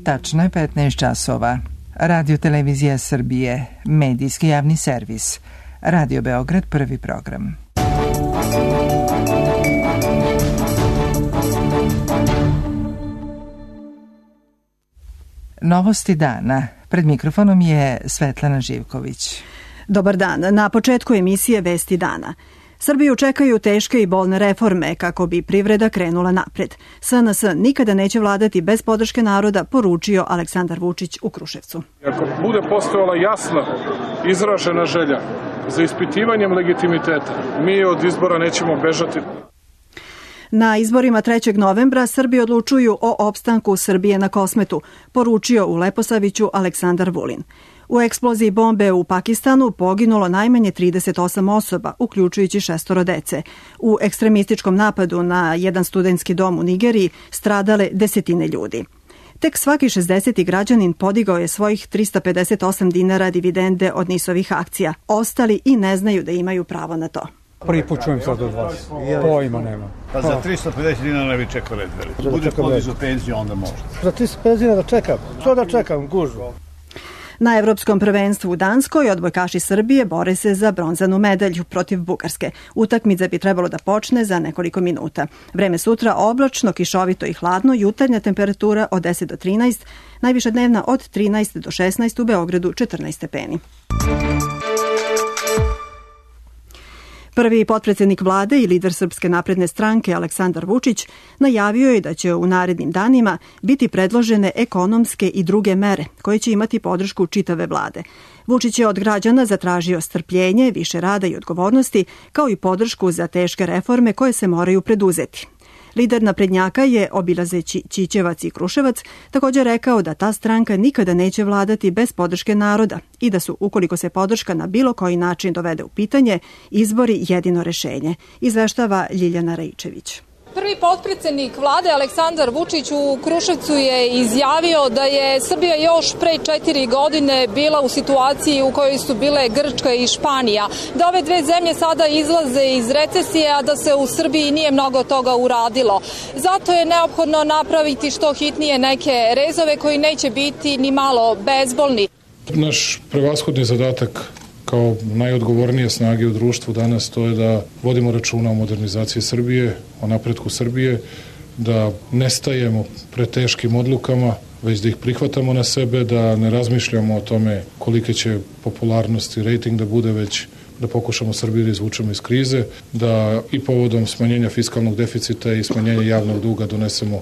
Tačno je 15 časova. Radio Televizija Srbije, medijski javni servis. Radio Beograd, prvi program. Novosti dana. Pred mikrofonom je Svetlana Živković. Dobar dan. Na početku emisije Vesti dana. Srbiju čekaju teške i bolne reforme kako bi privreda krenula napred. SNS nikada neće vladati bez podrške naroda, poručio Aleksandar Vučić u Kruševcu. Ako bude postojala jasna, izražena želja za ispitivanjem legitimiteta, mi od izbora nećemo bežati. Na izborima 3. novembra Srbi odlučuju o opstanku Srbije na Kosmetu, poručio u Leposaviću Aleksandar Vulin. U eksploziji bombe u Pakistanu poginulo najmanje 38 osoba, uključujući 6 dece. U ekstremističkom napadu na jedan studentski dom u Nigeriji stradale desetine ljudi. Tek svaki 60. građanin podigao je svojih 358 dinara dividende od NIS-ovih akcija. Ostali i ne znaju da imaju pravo na to. Prvi put čujem sad od vas. Pojma nema. Pa za 350 dinara ne bi čekao red veliki. Bude podižu penziju, onda može. Za 350 dinara da čekam. Što da čekam? Gužu. Na evropskom prvenstvu u Danskoj odbojkaši Srbije bore se za bronzanu medalju protiv Bugarske. Utakmica bi trebalo da počne za nekoliko minuta. Vreme sutra oblačno, kišovito i hladno, jutarnja temperatura od 10 do 13, najviša dnevna od 13 do 16, u Beogradu 14 stepeni. Prvi potpredsednik vlade i lider Srpske napredne stranke Aleksandar Vučić najavio je da će u narednim danima biti predložene ekonomske i druge mere koje će imati podršku čitave vlade. Vučić je od građana zatražio strpljenje, više rada i odgovornosti, kao i podršku za teške reforme koje se moraju preduzeti. Lider naprednjaka je, obilazeći Ćićevac i Kruševac, također rekao da ta stranka nikada neće vladati bez podrške naroda i da su, ukoliko se podrška na bilo koji način dovede u pitanje, izbori jedino rešenje, izveštava Ljiljana Raičević. Prvi potpredsednik vlade Aleksandar Vučić u Kruševcu je izjavio da je Srbija još pre 4 godine bila u situaciji u kojoj su bile Grčka i Španija. Da ove dve zemlje sada izlaze iz recesije, a da se u Srbiji nije mnogo toga uradilo. Zato je neophodno napraviti što hitnije neke rezove koji neće biti ni malo bezbolni. Naš prevashodni zadatak kao najodgovornije snage u društvu danas to je da vodimo računa o modernizaciji Srbije, o napretku Srbije, da ne stajemo pred teškim odlukama, već da ih prihvatamo na sebe, da ne razmišljamo o tome kolike će popularnost i rejting da bude, već da pokušamo Srbiju da izvučemo iz krize, da i povodom smanjenja fiskalnog deficita i smanjenja javnog duga donesemo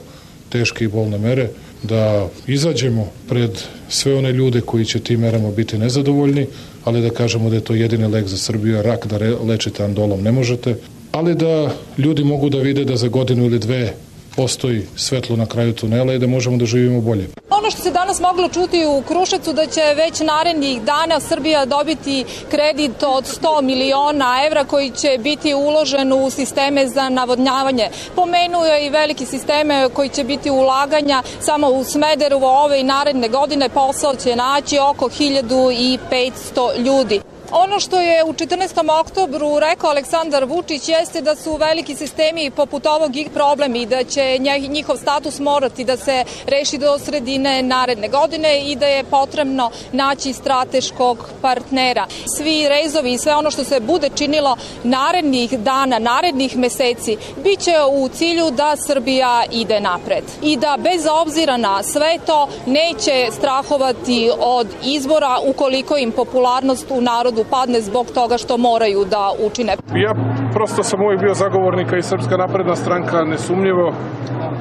teške i bolne mere, da izađemo pred sve one ljude koji će tim merama biti nezadovoljni, ali da kažemo da je to jedini lek za Srbiju, a rak da lečite andolom ne možete, ali da ljudi mogu da vide da za godinu ili dve postoji svetlo na kraju tunela i da možemo da živimo bolje. Ono što se danas moglo čuti u Kruševcu da će već narednih dana Srbija dobiti kredit od 100 miliona evra koji će biti uložen u sisteme za navodnjavanje. Pomenuo je i veliki sisteme koji će biti ulaganja samo u Smederevo ove i naredne godine. Posao će naći oko 1500 ljudi. Ono što je u 14. oktobru rekao Aleksandar Vučić jeste da su veliki sistemi poput ovog problem i da će njihov status morati da se reši do sredine naredne godine i da je potrebno naći strateškog partnera. Svi rezovi i sve ono što se bude činilo narednih dana, narednih meseci, bit će u cilju da Srbija ide napred i da bez obzira na sve to neće strahovati od izbora ukoliko im popularnost u narodu padne zbog toga što moraju da učine. Ja prosto sam uvijek bio zagovornika i Srpska napredna stranka nesumnjivo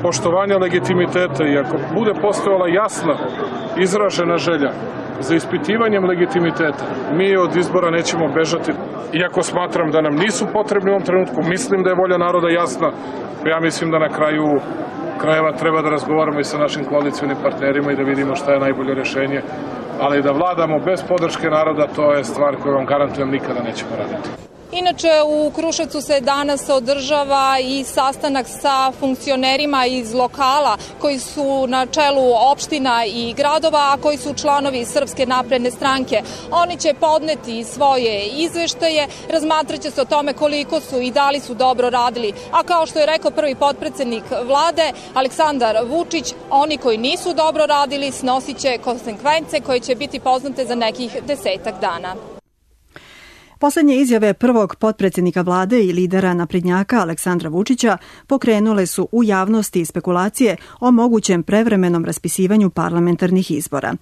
poštovanja legitimiteta i ako bude postojala jasna, izražena želja za ispitivanjem legitimiteta, mi od izbora nećemo bežati. Iako smatram da nam nisu potrebni u ovom trenutku, mislim da je volja naroda jasna, ja mislim da na kraju krajeva treba da razgovaramo i sa našim koalicionim partnerima i da vidimo šta je najbolje rešenje. Ali da vladamo bez podrške naroda, to je stvar koju vam garantujem nikada nećemo raditi. Inače, u Kruševcu se danas održava i sastanak sa funkcionerima iz lokala koji su na čelu opština i gradova, a koji su članovi Srpske napredne stranke. Oni će podneti svoje izveštaje, razmatraće se o tome koliko su i da li su dobro radili. A kao što je rekao prvi potpredsednik vlade, Aleksandar Vučić, oni koji nisu dobro radili snosit će konsekvence koje će biti poznate za nekih 10 dana. Poslednje izjave prvog potpredsednika vlade i lidera naprednjaka Aleksandra Vučića pokrenule su u javnosti spekulacije o mogućem prevremenom raspisivanju parlamentarnih izbora.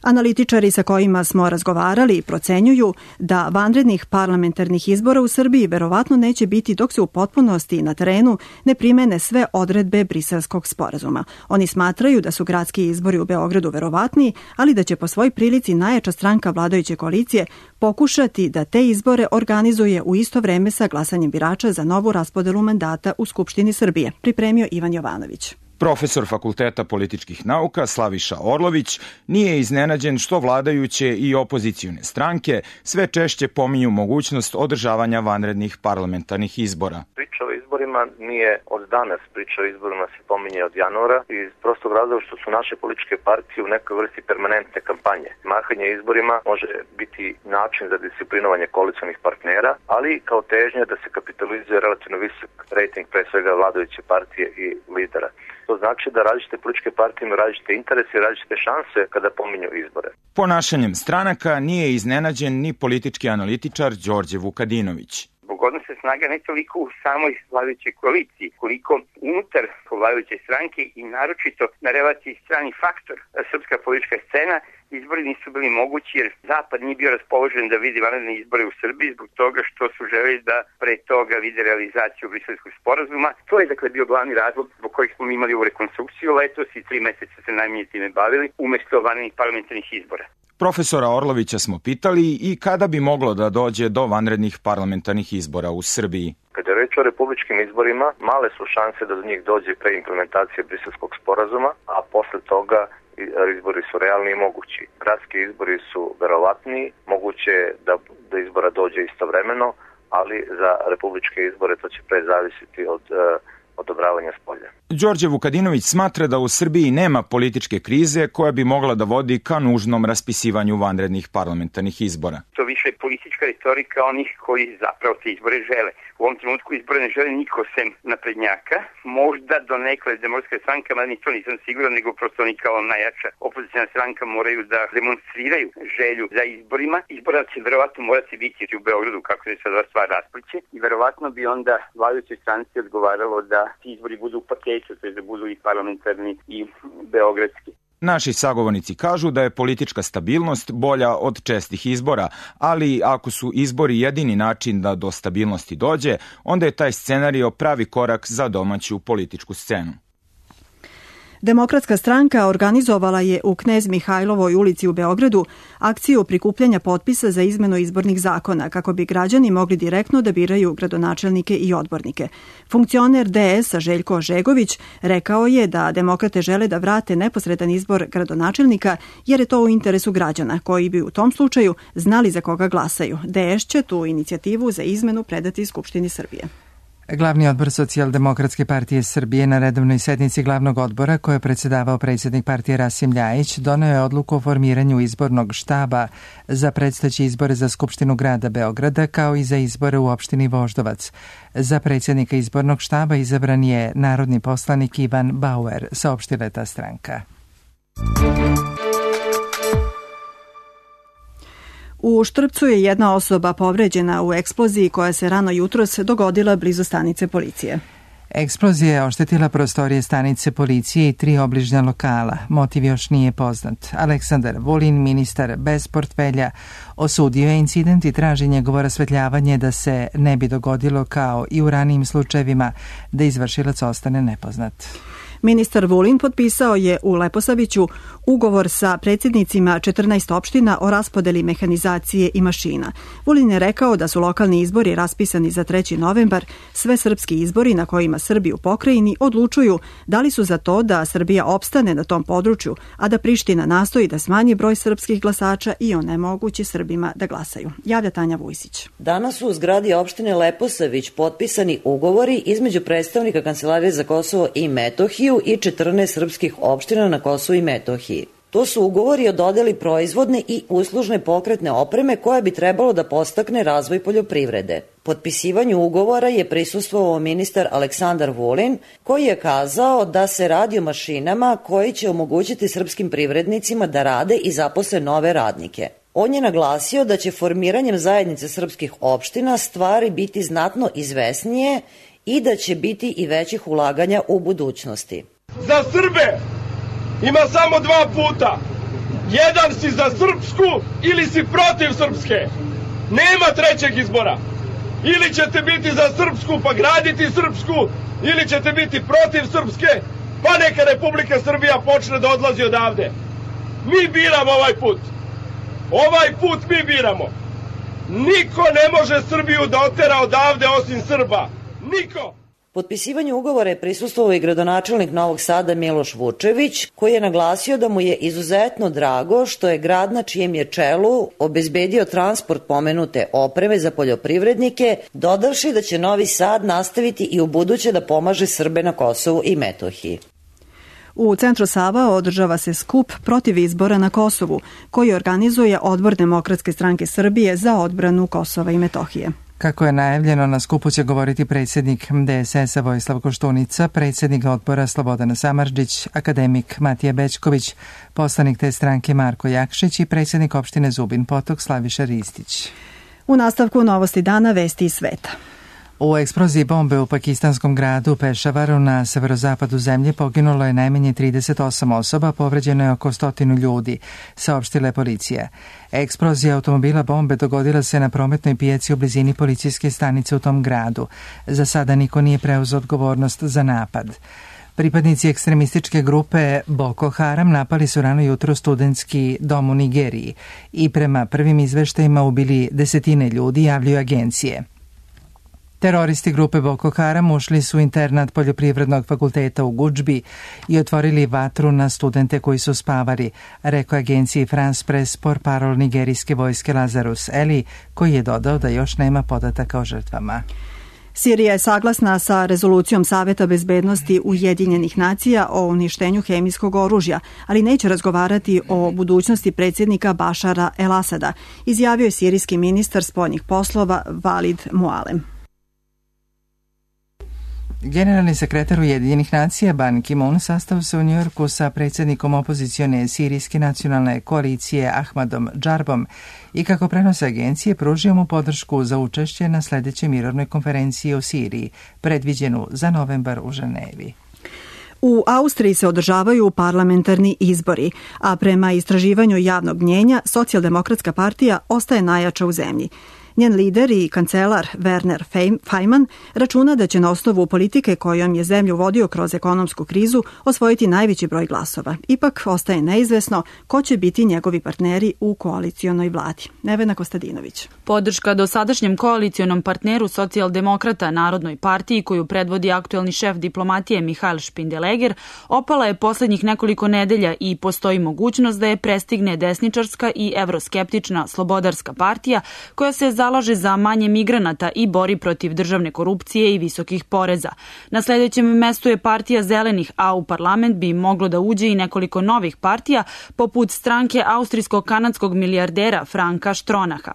Analitičari sa kojima smo razgovarali procenjuju da vanrednih parlamentarnih izbora u Srbiji verovatno neće biti dok se u potpunosti na terenu ne primene sve odredbe Briselskog sporazuma. Oni smatraju da su gradski izbori u Beogradu verovatniji, ali da će po svoj prilici najjača stranka vladajuće koalicije pokušati da te izbore organizuje u isto vreme sa glasanjem birača za novu raspodelu mandata u Skupštini Srbije, pripremio Ivan Jovanović. Profesor Fakulteta političkih nauka Slaviša Orlović nije iznenađen što vladajuće i opozicione stranke sve češće pominju mogućnost održavanja vanrednih parlamentarnih izbora. Priča o izborima nije od danas, priča o izborima se pominje od januara iz prostog razloga što su naše političke partije u nekoj vrsti permanentne kampanje. Mahanje izborima može biti način za disciplinovanje koalicionih partnera, ali kao težnja da se kapitalizuje relativno visok rejting pre svega vladajuće partije i lidera. To znači da različite političke partije imaju različite interese i različite šanse kada pominju izbore. Ponašanjem stranaka nije iznenađen ni politički analitičar Đorđe Vukadinović. Odnose snaga ne toliko u samoj vladajućoj koaliciji, koliko unutar vladajuće stranke i naročito na relaciji strani faktor srpska politička scena. Izbori nisu bili mogući jer Zapad nije bio raspoložen da vidi vanredne izbore u Srbiji zbog toga što su želeli da pre toga vide realizaciju Briselskog sporazuma. To je dakle bio glavni razlog zbog kojeg smo imali ovu rekonstrukciju letos i 3 meseca se najmanje time bavili umesto vanrednih parlamentarnih izbora. Profesora Orlovića smo pitali i kada bi moglo da dođe do vanrednih parlamentarnih izbora u Srbiji. Kada je reč o republičkim izborima, male su šanse da do njih dođe pre implementacije Briselskog sporazuma, a posle toga izbori su realni i mogući. Gradski izbori su verovatniji, moguće da do izbora dođe istovremeno, ali za republičke izbore to će pre zavisiti od odobravanja spolja. Đorđe Vukadinović smatra da u Srbiji nema političke krize koja bi mogla da vodi ka nužnom raspisivanju vanrednih parlamentarnih izbora. To više je politička retorika onih koji zapravo te izbore žele. U ovom trenutku izbore ne žele niko sem naprednjaka. Možda do nekle Demokratska stranka, mada ni to nisam siguran, nego prosto oni kao najjača opozicijna stranka moraju da demonstriraju želju za izborima. Izbora će verovatno morati biti u Beogradu kako se sada stvar raspliće i verovatno bi onda vladajućoj stranci odgovaralo da ti izbori budu u paketu, to je da budu i parlamentarni i beogradski. Naši sagovornici kažu da je politička stabilnost bolja od čestih izbora, ali ako su izbori jedini način da do stabilnosti dođe, onda je taj scenario pravi korak za domaću političku scenu. Demokratska stranka organizovala je u Knez Mihajlovoj ulici u Beogradu akciju prikupljanja potpisa za izmenu izbornih zakona kako bi građani mogli direktno da biraju gradonačelnike i odbornike. Funkcioner DS-a Željko Žegović rekao je da demokrate žele da vrate neposredan izbor gradonačelnika jer je to u interesu građana koji bi u tom slučaju znali za koga glasaju. DS će tu inicijativu za izmenu predati Skupštini Srbije. Glavni odbor Socijaldemokratske partije Srbije na redovnoj sednici glavnog odbora koje je predsedavao predsjednik partije Rasim Ljajić doneo je odluku o formiranju izbornog štaba za predstojeće izbore za Skupštinu grada Beograda kao i za izbore u opštini Voždovac. Za predsjednika izbornog štaba izabran je narodni poslanik Ivan Bauer, saopštila je ta stranka. U Štrpcu je jedna osoba povređena u eksploziji koja se rano jutros dogodila blizu stanice policije. Eksplozija je oštetila prostorije stanice policije i 3 obližnja lokala. Motiv još nije poznat. Aleksandar Vulin, ministar bez portfelja, osudio je incident i traži njegovo rasvetljavanje da se ne bi dogodilo kao i u ranijim slučajevima da izvršilac ostane nepoznat. Ministar Vulin potpisao je u Leposaviću ugovor sa predsjednicima 14 opština o raspodeli mehanizacije i mašina. Vulin je rekao da su lokalni izbori raspisani za 3. novembar, sve srpski izbori na kojima Srbi u pokrajini odlučuju da li su za to da Srbija opstane na tom području, a da Priština nastoji da smanji broj srpskih glasača i onemogući Srbima da glasaju. Javlja Tanja Vujsić. Danas su u zgradi opštine Leposavić potpisani ugovori između predstavnika Kancelarije za Kosovo i Metohiju i 14 srpskih opština na Kosovu i Metohiji. To su ugovori o dodeli proizvodne i uslužne pokretne opreme koja bi trebalo da podstakne razvoj poljoprivrede. Potpisivanju ugovora je prisustvovao ministar Aleksandar Vulin, koji je kazao da se radi o mašinama koji će omogućiti srpskim privrednicima da rade i zaposle nove radnike. On je naglasio da će formiranjem zajednice srpskih opština stvari biti znatno izvesnije i da će biti i većih ulaganja u budućnosti. Za Srbe ima samo 2 puta. Jedan si za srpsku ili si protiv srpske. Nema trećeg izbora. Ili ćete biti za srpsku pa graditi srpsku, ili ćete biti protiv srpske, pa neka Republika Srbija počne da odlazi odavde. Mi biramo ovaj put. Ovaj put mi biramo. Niko ne može Srbiju da otera odavde osim Srba. Niko! Potpisivanju ugovora je prisustvovao i gradonačelnik Novog Sada Miloš Vučević, koji je naglasio da mu je izuzetno drago što je grad na čijem je čelu obezbedio transport pomenute opreme za poljoprivrednike, dodavši da će Novi Sad nastaviti i u buduće da pomaže Srbe na Kosovu i Metohiji. U centru Sava održava se skup protiv izbora na Kosovu, koji organizuje Odbor Demokratske stranke Srbije za odbranu Kosova i Metohije. Kako je najavljeno, na skupu će govoriti predsjednik DSS-a Vojislav Koštunica, predsjednik odbora Slobodan Samardžić, akademik Matija Bećković, poslanik te stranke Marko Jakšić i predsjednik opštine Zubin Potok Slaviša Ristić. U nastavku novosti dana vesti iz sveta. U eksploziji bombe u pakistanskom gradu Pešavaru na severozapadu zemlje poginulo je najmanje 38 osoba, povređeno je oko 100 ljudi, saopštila je policija. Eksplozija automobila bombe dogodila se na prometnoj pijaci u blizini policijske stanice u tom gradu. Za sada niko nije preuzeo odgovornost za napad. Pripadnici ekstremističke grupe Boko Haram napali su rano jutro studentski dom u Nigeriji i prema prvim izveštajima ubili desetine ljudi, javljaju agencije. Teroristi grupe Boko Haram ušli su u internat Poljoprivrednog fakulteta u Gudžbi i otvorili vatru na studente koji su spavali, rekao agenciji France Press portparol nigerijske vojske Lazarus Eli, koji je dodao da još nema podataka o žrtvama. Sirija je saglasna sa rezolucijom Saveta bezbednosti Ujedinjenih nacija o uništenju hemijskog oružja, ali neće razgovarati o budućnosti predsjednika Bašara el-Asada, izjavio je sirijski ministar spoljnih poslova Valid Mualem. Generalni sekretar Ujedinjenih nacija Ban Ki-moon sastao se u Njujorku sa predsjednikom opozicione sirijske nacionalne koalicije Ahmadom Džarbom i, kako prenose agencije, pružio mu podršku za učešće na sljedećoj mirovnoj konferenciji o Siriji, predviđenu za novembar u Ženevi. U Austriji se održavaju parlamentarni izbori, a prema istraživanju javnog mnjenja Socijaldemokratska partija ostaje najjača u zemlji. Njen lider i kancelar Werner Faymann računa da će na osnovu politike kojom je zemlju vodio kroz ekonomsku krizu osvojiti najveći broj glasova. Ipak ostaje neizvesno ko će biti njegovi partneri u koalicionoj vladi. Nevena Kostadinović. Podrška dosadašnjem koalicionom partneru socijaldemokrata Narodnoj partiji, koju predvodi aktuelni šef diplomatije Mihael Špindeleger, opala je posljednjih nekoliko nedelja i postoji mogućnost da je prestigne desničarska i evroskeptična Slobodarska partija, koja se zalaže za manje migranata i bori protiv državne korupcije i visokih poreza. Na sljedećem mestu je partija Zelenih, a u parlament bi moglo da uđe i nekoliko novih partija, poput stranke austrijsko-kanadskog milijardera Franka Štronaha.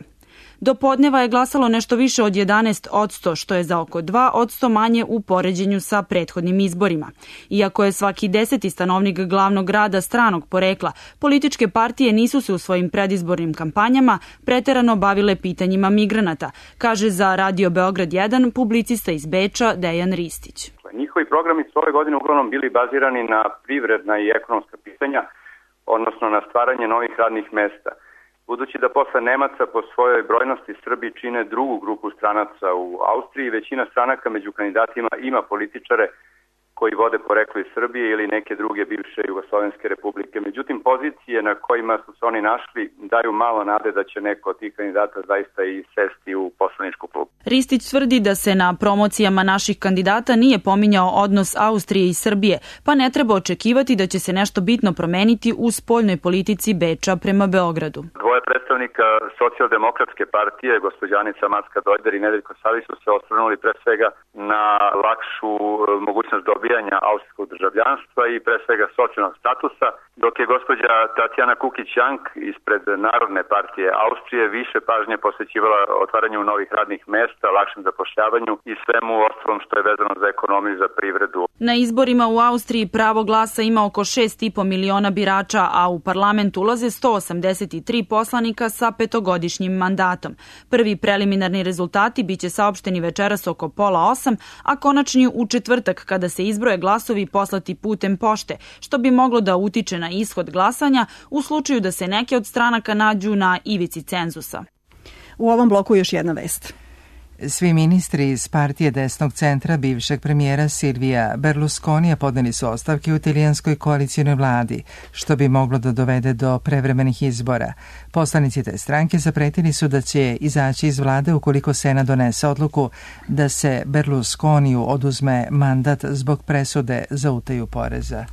Do podneva je glasalo nešto više od 11%, što je za oko 2% manje u poređenju sa prethodnim izborima. Iako je svaki 10. stanovnik glavnog grada stranog porekla, političke partije nisu se u svojim predizbornim kampanjama preterano bavile pitanjima migranata, kaže za Radio Beograd 1 publicista iz Beča Dejan Ristić. Njihovi programi su ove godine uglavnom bili bazirani na privredna i ekonomska pitanja, odnosno na stvaranje novih radnih mesta. Budući da posle Nemaca po svojoj brojnosti Srbi čine drugu grupu stranaca u Austriji, većina stranaka među kandidatima ima političare koji vode poreklo iz Srbije ili neke druge bivše jugoslovenske republike. Međutim, pozicije na kojima su se oni našli daju malo nade da će neko od tih kandidata zaista i sesti u poslaničku klubu. Ristić tvrdi da se na promocijama naših kandidata nije pominjao odnos Austrije i Srbije, pa ne treba očekivati da će se nešto bitno promeniti u spoljnoj politici Beča prema Beogradu. Dvoje predstavnika Socijaldemokratske partije, gospođa Anica Macka-Dojder i Nedeljko Savić, su se osvrnuli pre svega na lakšu mogućnost dobijanja austrijskog državljanstva i pre svega socijalnog statusa, dok je gospođa Tatjana Kukić-Jank ispred Narodne partije Austrije više pažnje posvećivala otvaranju novih radnih mesta, lakšem zapošljavanju i svemu ostalom što je vezano za ekonomiju i za privredu. Na izborima u Austriji pravo glasa ima oko 6,5 miliona birača, a u parlament ulaze 183 poslanika sa 5-godišnjim mandatom. Prvi preliminarni rezultati biće saopšteni večeras oko 7:30, a konačni u četvrtak kada se izbroje glasovi poslati putem pošte, što bi moglo da utiče na ishod glasanja u slučaju da se neke od stranaka nađu na ivici cenzusa. U ovom bloku još jedna vest. Svi ministri iz partije desnog centra bivšeg premijera Silvija Berlusconija podneli su ostavke u italijanskoj koalicijnoj vladi, što bi moglo da dovede do prevremenih izbora. Poslanici te stranke zapretili su da će izaći iz vlade ukoliko Senat donese odluku da se Berlusconiju oduzme mandat zbog presude za utaju poreza.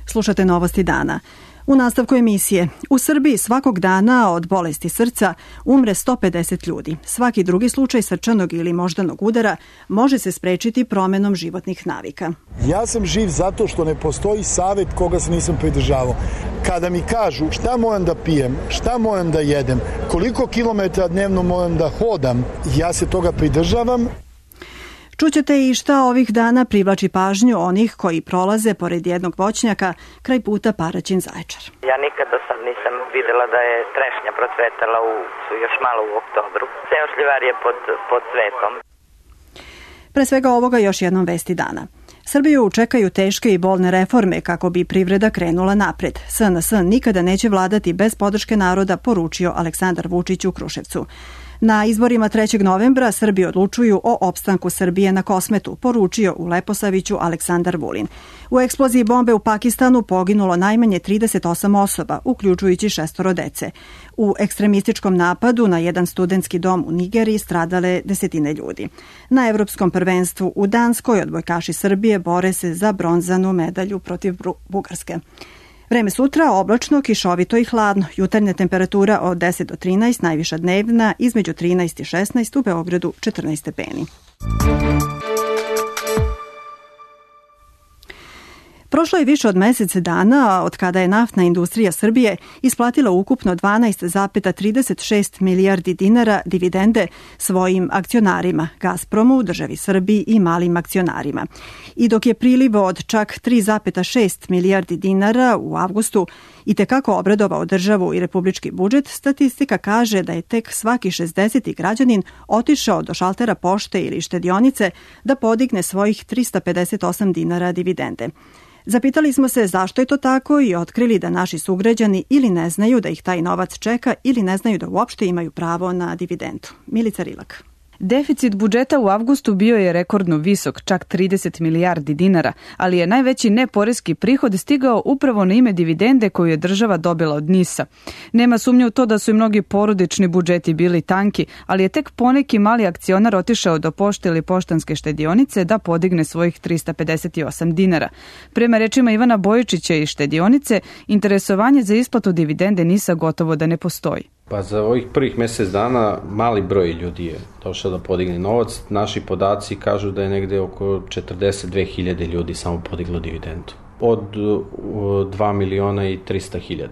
Slušate novosti dana. U nastavku emisije, u Srbiji svakog dana od bolesti srca umre 150 ljudi. Svaki drugi slučaj srčanog ili moždanog udara može se sprečiti promenom životnih navika. Ja sam živ zato što ne postoji savet koga se nisam pridržavao. Kada mi kažu šta moram da pijem, šta moram da jedem, koliko kilometara dnevno moram da hodam, ja se toga pridržavam. Čućete i šta ovih dana privlači pažnju onih koji prolaze pored jednog voćnjaka kraj puta Paraćin-Zaječar. Ja nikada nisam videla da je trešnja procvetala još malo u oktobru. Ceo šljivar je pod cvetom. Pre svega ovoga još jednom vesti dana. Srbiju čekaju teške i bolne reforme kako bi privreda krenula napred. SNS nikada neće vladati bez podrške naroda, poručio Aleksandar Vučić u Kruševcu. Na izborima 3. novembra Srbi odlučuju o opstanku Srbije na Kosmetu, poručio u Leposaviću Aleksandar Vulin. U eksploziji bombe u Pakistanu poginulo najmanje 38 osoba, uključujući 6 dece. U ekstremističkom napadu na jedan studentski dom u Nigeriji stradale desetine ljudi. Na Evropskom prvenstvu u Danskoj odbojkaši Srbije bore se za bronzanu medalju protiv Bugarske. Vreme sutra oblačno, kišovito i hladno. Jutarnja temperatura od 10 do 13, najviša dnevna između 13 i 16, u Beogradu 14 stepeni. Prošlo je više od mesec dana od kada je naftna industrija Srbije isplatila ukupno 12,36 milijardi dinara dividende svojim akcionarima, Gazpromu, državi Srbiji i malim akcionarima. I dok je priliv od čak 3,6 milijardi dinara u avgustu i tekako obradovao državu i republički budžet, statistika kaže da je tek svaki 60. građanin otišao do šaltera pošte ili štedionice da podigne svojih 358 dinara dividende. Zapitali smo se zašto je to tako i otkrili da naši sugrađani ili ne znaju da ih taj novac čeka ili ne znaju da uopšte imaju pravo na dividendu. Milica Rilak. Deficit budžeta u avgustu bio je rekordno visok, čak 30 milijardi dinara, ali je najveći neporeski prihod stigao upravo na ime dividende koju je država dobila od NIS-a. Nema sumnje u to da su i mnogi porodični budžeti bili tanki, ali je tek poneki mali akcionar otišao do pošte ili poštanske štedionice da podigne svojih 358 dinara. Prema rečima Ivana Bojičića iz štedionice, interesovanje za isplatu dividende NIS-a gotovo da ne postoji. Pa za ovih prvih mjesec dana mali broj ljudi je došao da podigne novac. Naši podaci kažu da je negde oko 42.000 ljudi samo podiglo dividendu. Od 2.300.000.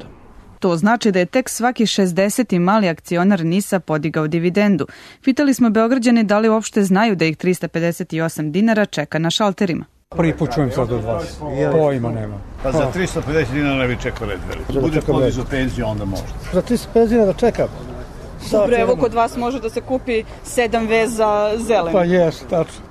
To znači da je tek svaki 60. mali akcionar NIS-a podigao dividendu. Pitali smo Beograđane da li uopšte znaju da ih 358 dinara čeka na šalterima. Prvi put čujem sad od vas. Pojma nema. Pa za 350 dinara ne bi čekao red veliki. Bude podižu penziju, onda možda. Za 350 dinara da čekam. Dobro, evo kod vas može da se kupi 7 veza zelene. Pa jes, tačno.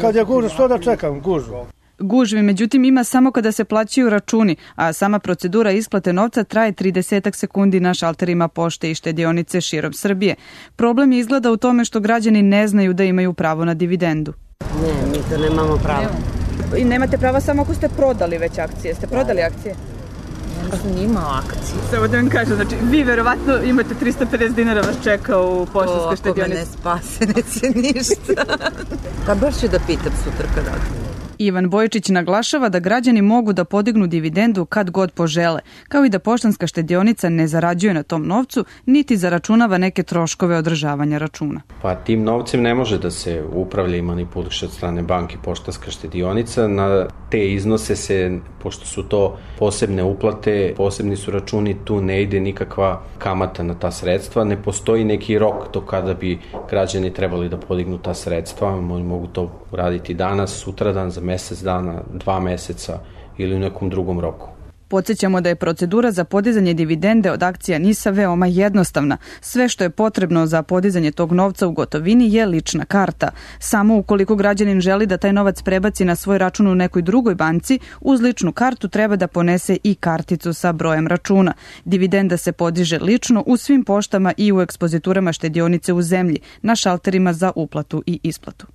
Kad je gužva, što da čekam, gužva. Gužvi, međutim, ima samo kada se plaćaju računi, a sama procedura isplate novca traje 30 sekundi na šalterima pošte i štedionice širom Srbije. Problem je izgleda u tome što građani ne znaju da imaju pravo na dividendu. Ne, mi to nemamo pravo. I nemate prava samo ako ste prodali već akcije. Ste prodali akcije? Ja sam imao akcije. Samo da vam kažem, znači vi verovatno imate 350 dinara vas čeka u poštanskoj štedionici. Ako me ne spase, neće ništa. Pa baš ću da pitam sutra kad odem. Ivan Bojičić naglašava da građani mogu da podignu dividendu kad god požele, kao i da poštanska štedionica ne zarađuje na tom novcu, niti zaračunava neke troškove održavanja računa. Pa tim novcem ne može da se upravlja i manipuliše od strane banke poštanska štedionica. Na te iznose se, pošto su to posebne uplate, posebni su računi, tu ne ide nikakva kamata na ta sredstva, ne postoji neki rok do kada bi građani trebali da podignu ta sredstva, mogu to uraditi danas, sutradan, za mesec dana, 2 meseca ili u nekom drugom roku. Podsjećamo da je procedura za podizanje dividende od akcija NIS-a veoma jednostavna. Sve što je potrebno za podizanje tog novca u gotovini je lična karta. Samo ukoliko građanin želi da taj novac prebaci na svoj račun u nekoj drugoj banci, uz ličnu kartu treba da ponese i karticu sa brojem računa. Dividenda se podiže lično u svim poštama i u ekspoziturama štedionice u zemlji, na šalterima za uplatu i isplatu.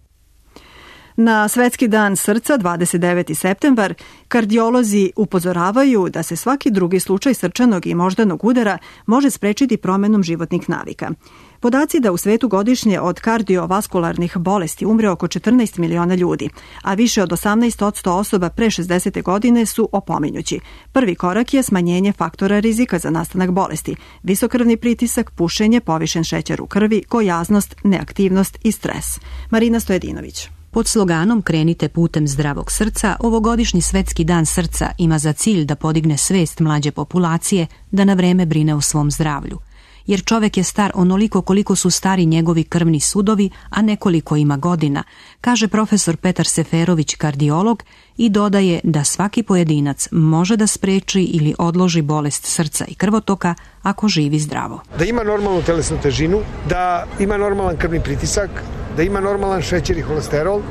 Na Svetski dan srca, 29. septembar, kardiolozi upozoravaju da se svaki drugi slučaj srčanog i moždanog udara može sprečiti promenom životnih navika. Podaci da u svetu godišnje od kardiovaskularnih bolesti umre oko 14 miliona ljudi, a više od 18% osoba pre 60. godine su opominjući. Prvi korak je smanjenje faktora rizika za nastanak bolesti, visokrvni pritisak, pušenje, povišen šećer u krvi, gojaznost, neaktivnost i stres. Marina Stojedinović. Pod sloganom Krenite putem zdravog srca, ovogodišnji Svetski dan srca ima za cilj da podigne svest mlađe populacije da na vreme brine o svom zdravlju. Jer čovek je star onoliko koliko su stari njegovi krvni sudovi, a nekoliko ima godina, kaže profesor Petar Seferović, kardiolog, i dodaje da svaki pojedinac može da spreči ili odloži bolest srca i krvotoka ako živi zdravo. Da ima normalnu telesnu težinu, da ima normalan krvni pritisak, da ima normalan šećer i holesterol,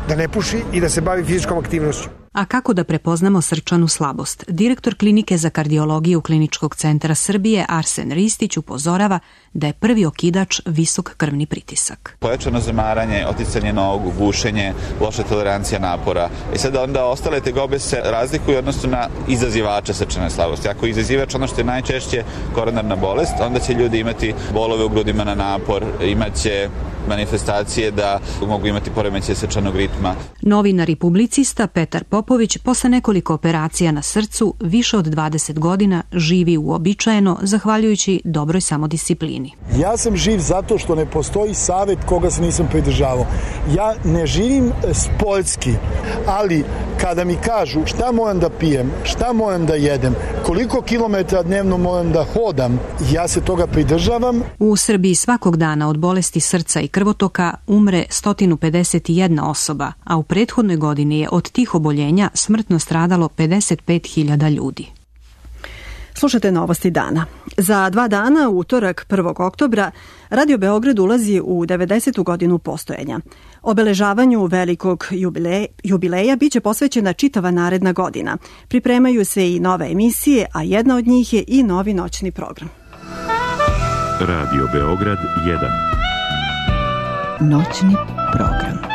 da ne puši i da se bavi fizičkom aktivnošću. A kako da prepoznamo srčanu slabost? Direktor klinike za kardiologiju Kliničkog centra Srbije Arsen Ristić upozorava da je prvi okidač visok krvni pritisak. Pojačano zamaranje, oticanje nogu, bušenje, loša tolerancija napora. I sad onda ostale tegobe se razlikuju odnosno na izazivača srčane slabosti. Ako je izazivač ono što je najčešće koronarna bolest, onda će ljudi imati bolove u grudima na napor, imaće manifestacije da mogu imati poremećaj srčanog ritma. Novinar i publicista Petar Popović posle nekoliko operacija na srcu više od 20 godina živi uobičajeno zahvaljujući dobroj samodisciplini. Ja sam živ zato što ne postoji savet koga se nisam pridržavao. Ja ne živim spoljski, ali kada mi kažu šta moram da pijem, šta moram da jedem, koliko kilometara dnevno moram da hodam, ja se toga pridržavam. U Srbiji svakog dana od bolesti srca i krvotoka umre 151 osoba, a u prethodnoj godini je od tih oboljenja smrtno stradalo 55.000 ljudi. Slušate novosti dana. Za 2 dana, utorak 1. oktobra, Radio Beograd ulazi u 90. godinu postojanja. Obeležavanju velikog jubileja biće posvećena čitava naredna godina. Pripremaju se i nove emisije, a jedna od njih je i novi noćni program. Radio Beograd 1. Noćni program.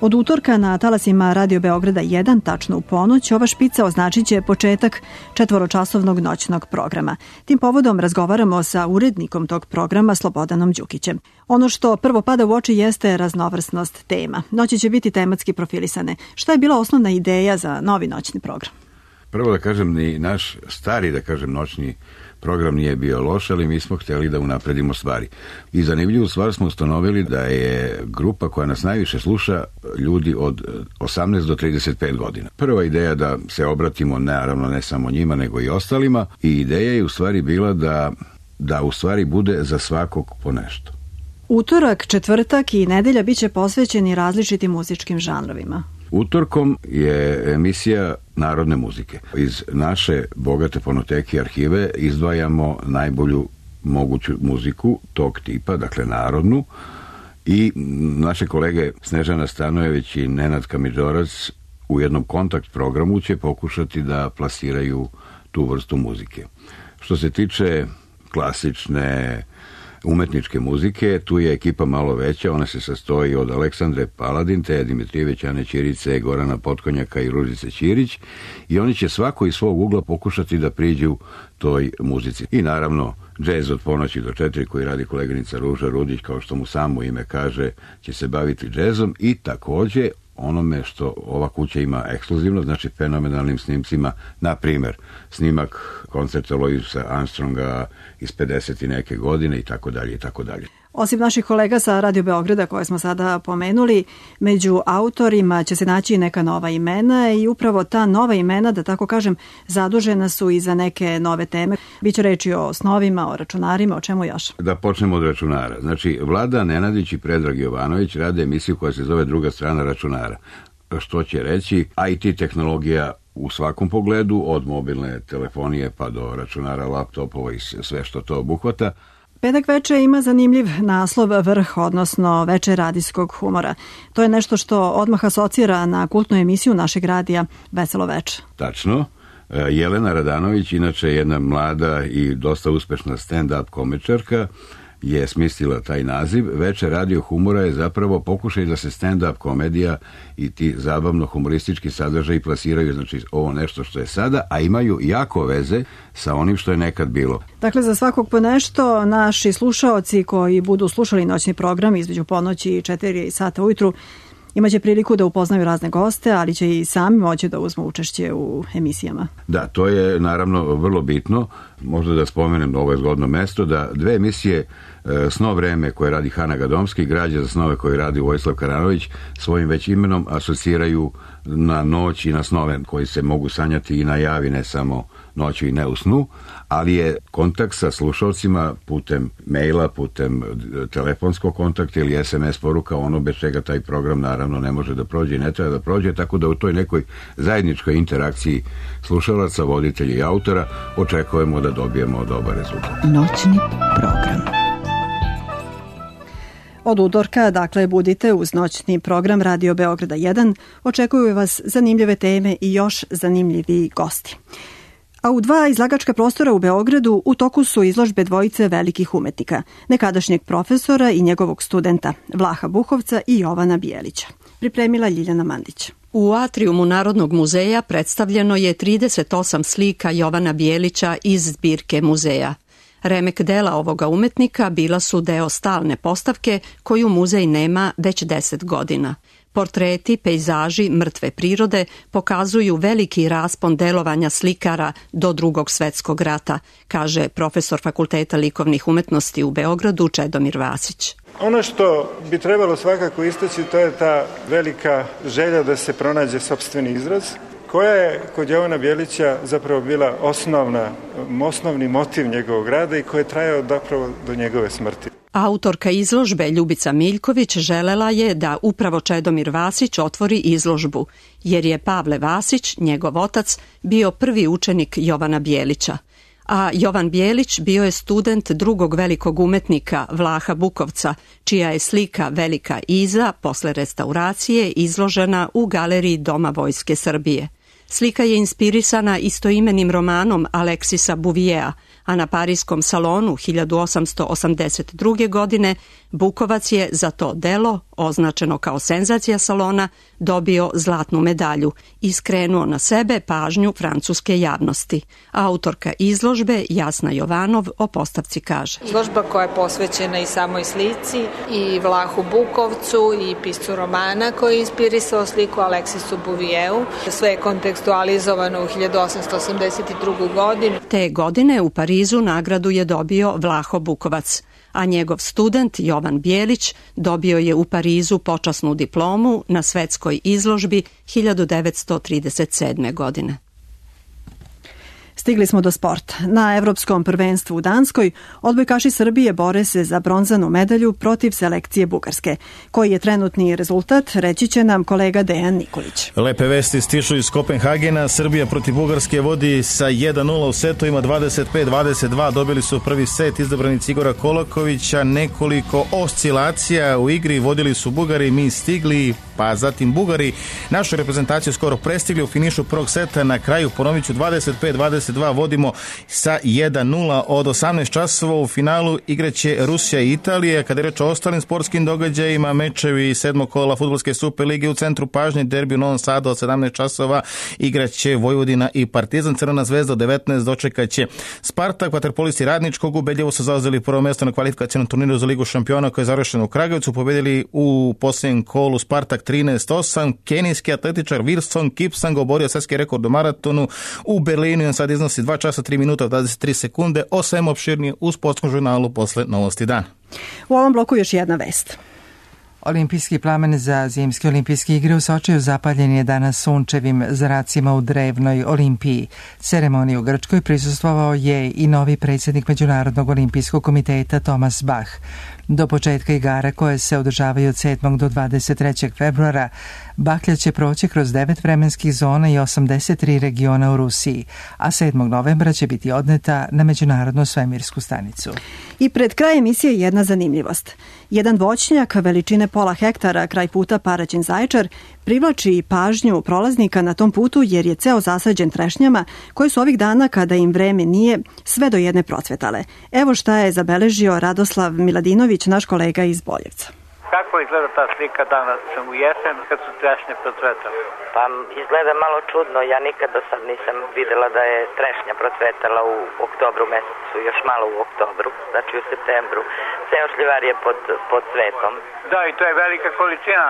Od utorka na talasima Radio Beograda 1, tačno u ponoć, ova špica označit će početak 4-časovnog noćnog programa. Tim povodom razgovaramo sa urednikom tog programa Slobodanom Đukićem. Ono što prvo pada u oči jeste raznovrsnost tema. Noći će biti tematski profilisane. Šta je bila osnovna ideja za novi noćni program? Prvo da kažem, ni naš stari, da kažem, noćni program nije bio loš, ali mi smo htjeli da unapredimo stvari. I zanimljivu stvar smo ustanovili da je grupa koja nas najviše sluša ljudi od 18 do 35 godina. Prva ideja da se obratimo, naravno ne samo njima, nego i ostalima, i ideja je u stvari bila da u stvari bude za svakog po nešto. Utorak, četvrtak i nedelja biće posvećeni različitim muzičkim žanrovima. Utorkom je emisija narodne muzike. Iz naše bogate fonoteke i arhive izdvajamo najbolju moguću muziku tog tipa, dakle narodnu, i naše kolege Snežana Stanojević i Nenad Kamidžorac u jednom kontakt programu će pokušati da plasiraju tu vrstu muzike. Što se tiče klasične umetničke muzike, tu je ekipa malo veća, ona se sastoji od Aleksandre Paladin, Teja Dimitrijević, Ane Ćirice, Gorana Potkonjaka i Ružice Ćirić i oni će svako iz svog ugla pokušati da priđu toj muzici. I naravno, džez od ponoći do 4 koji radi koleginica Ruža Rudić, kao što mu samo ime kaže, će se baviti džezom i takođe onome što ova kuća ima ekskluzivno, znači fenomenalnim snimcima, na primer snimak koncerta Louisa Armstronga iz 50 i neke godine i tako dalje i tako dalje. Osim naših kolega sa Radio Beograda koje smo sada pomenuli, među autorima će se naći neka nova imena i upravo ta nova imena, da tako kažem, zadužena su i za neke nove teme. Biće reči o snovima, o računarima, o čemu još? Da počnemo od računara. Znači, Vlada Nenadić i Predrag Jovanović rade emisiju koja se zove Druga strana računara. Što će reći, IT tehnologija u svakom pogledu, od mobilne telefonije pa do računara, laptopova i sve što to obuhvata. Petak veče ima zanimljiv naslov Vrh, odnosno Veče radijskog humora. To je nešto što odmah asocira na kultnu emisiju našeg radija Veselo veče. Tačno. Jelena Radanović, inače jedna mlada i dosta uspešna stand-up komičarka, je smislila taj naziv. Veče radio humora je zapravo pokušaj da se stand-up komedija i ti zabavno-humoristički sadržaji plasiraju, znači ovo nešto što je sada, a imaju jako veze sa onim što je nekad bilo. Dakle, za svakog po nešto, naši slušaoci koji budu slušali noćni program između ponoći i 4 sata ujutru imaće priliku da upoznaju razne goste, ali će i sami moći da uzmu učešće u emisijama. Da, to je naravno vrlo bitno. Možda da spomenem, ovo je zgodno mesto, da dve emisije Sno vreme koje radi Hana Gadomski i Građe za snove koje radi Vojislav Karanović svojim već imenom asociraju na noć i na snove koji se mogu sanjati i na javi, ne samo noću i ne u snu, ali je kontakt sa slušalcima putem maila, putem telefonskog kontakta ili SMS poruka ono bez čega taj program naravno ne može da prođe i ne treba da prođe, tako da u toj nekoj zajedničkoj interakciji slušalaca, voditelja i autora očekujemo da dobijemo dobar rezultat. Noćni program. Od utorka, dakle, budite uz noćni program Radio Beograda 1. Očekuju vas zanimljive teme i još zanimljivi gosti. A u 2 izlagačka prostora u Beogradu u toku su izložbe dvojice velikih umetnika, nekadašnjeg profesora i njegovog studenta, Vlaha Bukovca i Jovana Bijelića. Pripremila Ljiljana Mandić. U atrijumu Narodnog muzeja predstavljeno je 38 slika Jovana Bijelića iz zbirke muzeja. Remek dela ovoga umetnika bila su deo stalne postavke koju muzej nema već 10 godina. Portreti, pejzaži, mrtve prirode pokazuju veliki raspon delovanja slikara do Drugog svetskog rata, kaže profesor Fakulteta likovnih umetnosti u Beogradu Čedomir Vasić. Ono što bi trebalo svakako istaći, to je ta velika želja da se pronađe sopstveni izraz, koja je kod Jovana Bijelića zapravo bila osnovni motiv njegovog rada i koji je trajao zapravo do njegove smrti. Autorka izložbe Ljubica Miljković želela je da upravo Čedomir Vasić otvori izložbu, jer je Pavle Vasić, njegov otac, bio prvi učenik Jovana Bijelića. A Jovan Bijelić bio je student drugog velikog umetnika Vlaha Bukovca, čija je slika Velika Iza posle restauracije izložena u galeriji Doma Vojske Srbije. Slika je inspirisana istoimenim romanom Aleksisa Buvijea, a na Pariskom salonu 1882. godine Bukovac je za to delo, označeno kao senzacija salona, dobio zlatnu medalju i skrenuo na sebe pažnju francuske javnosti. Autorka izložbe Jasna Jovanov o postavci kaže. Izložba koja je posvećena i samoj slici, i Vlahu Bukovcu, i piscu romana koji je inspirisao sliku Aleksisu Buvijeu. Sve je kontekstualizovano u 1882. godinu. Te godine u Parizu nagradu je dobio Vlaho Bukovac, a njegov student Jovan Bijelić dobio je u Parizu počasnu diplomu na svetskoj izložbi 1937. godine. Stigli smo do sporta. Na Evropskom prvenstvu u Danskoj odbojkaši Srbije bore se za bronzanu medalju protiv selekcije Bugarske. Koji je trenutni rezultat, reći će nam kolega Dejan Nikolić. Lepe vesti stižu iz Kopenhagena. Srbija protiv Bugarske vodi sa 1-0 u setovima, 25-22. Dobili su prvi set izabranici Igora Kolakovića. Nekoliko oscilacija u igri, vodili su Bugari, mi stigli, pa zatim Bugari našu reprezentaciju skoro prestigli u finišu prvog seta. Na kraju, ponovit ću, 25-22 vodimo sa 1-0. Od 18 časova u finalu igraće Rusija i Italija. Kada je reč o ostalim sportskim događajima, mečevi 7. kola Fudbalske Superlige u centru pažnje, derbi u Novom Sadu od 17 časova igraće Vojvodina i Partizan. Crvena zvezda od 19 dočekaće Spartak. Vaterpolisti Radničkog ubedljivo su zauzeli prvo mjesto na kvalifikacionom turniru za Ligu šampiona koji je završen u Kragujevcu. Pobedili u posljednjem kolu Spartak 13-8. Kenijski atletičar Wilson Kipsang oborio svjetski rekord u maratonu u Berlinu i on sad iznosi 2 časa 3 minuta 23 sekunde. O svemu opširnije u sportskom žurnalu posle Novosti dana. U ovom bloku još jedna vest. Olimpijski plamen za zimske olimpijske igre u Sočiju zapaljen je danas sunčevim zracima u drevnoj Olimpiji. Ceremoniji u Grčkoj prisustvovao je i novi predsjednik Međunarodnog olimpijskog komiteta Thomas Bach. Do početka igara koje se održavaju od 7. do 23. februara, baklja će proći kroz 9 vremenskih zona i 83 regiona u Rusiji, a 7. novembra će biti odneta na Međunarodnu svemirsku stanicu. I pred kraj emisije jedna zanimljivost. Jedan voćnjak veličine pola hektara kraj puta Paraćin-Zaječar privlači pažnju prolaznika na tom putu jer je ceo zasađen trešnjama koje su ovih dana, kada im vreme nije, sve do jedne procvetale. Evo šta je zabeležio Radoslav Miladinović, naš kolega iz Boljevca. Kako izgleda ta slika danas u jesen kad su trešnje procvetale? Pa izgleda malo čudno, ja nikad do sad nisam videla da je trešnja procvetala u oktobru mesecu, još malo u oktobru, znači u septembru. Ceo šljivar je pod cvetom. Da, i to je velika količina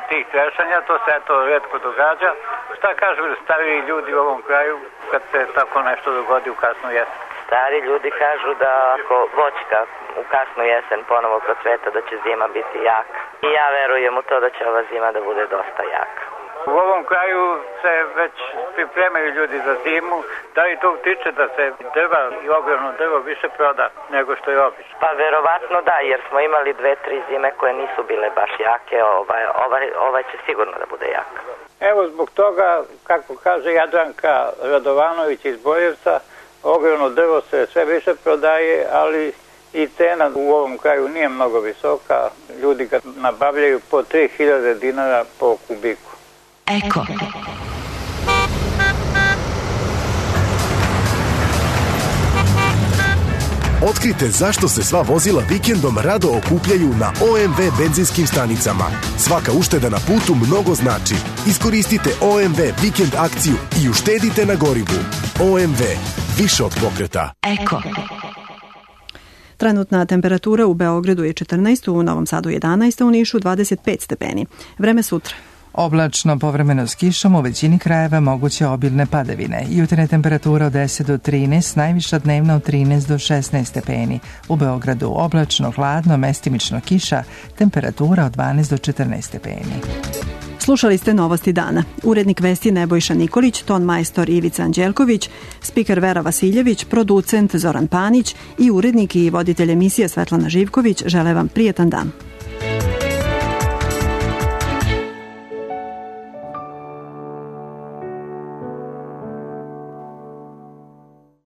tih trešanja, to se eto retko događa. Šta kažu stariji ljudi u ovom kraju kad se tako nešto dogodi u kasnu jesen? Stari ljudi kažu da ako voćka u kasnu jesen ponovo procveta, da će zima biti jaka. I ja verujem u to da će ova zima da bude dosta jaka. U ovom kraju se već pripremaju ljudi za zimu. Da li to utiče da se drva i ogromno drvo više proda nego što je obično? Pa verovatno da, jer smo imali 2-3 zime koje nisu bile baš jake. Ovaj će sigurno da bude jaka. Evo zbog toga, kako kaže Jadranka Radovanović iz Boljevca, ogromno drvo se sve više prodaje, ali i cena u ovom kraju nije mnogo visoka. Ljudi ga nabavljaju po 3000 dinara po kubiku. Eko. Otkrite zašto se sva vozila vikendom rado okupljaju na OMV benzinskim stanicama. Svaka ušteda na putu mnogo znači. Iskoristite OMV vikend akciju i uštedite na gorivu. OMV. Više od pokreta. Eko. Trenutna temperatura u Beogradu je 14, u Novom Sadu 11, u Nišu 25 stepeni. Vreme sutra. Oblačno, povremeno s kišom, u većini krajeva moguće obilne padavine. Jutarnja temperatura od 10 do 13, najviša dnevna od 13 do 16 stepeni. U Beogradu oblačno, hladno, mestimično kiša, temperatura od 12 do 14 stepeni. Slušali ste Novosti dana. Urednik vesti Nebojša Nikolić, ton majstor Ivica Anđelković, spiker Vera Vasiljević, producent Zoran Panić i urednik i voditelj emisije Svetlana Živković žele vam prijetan dan.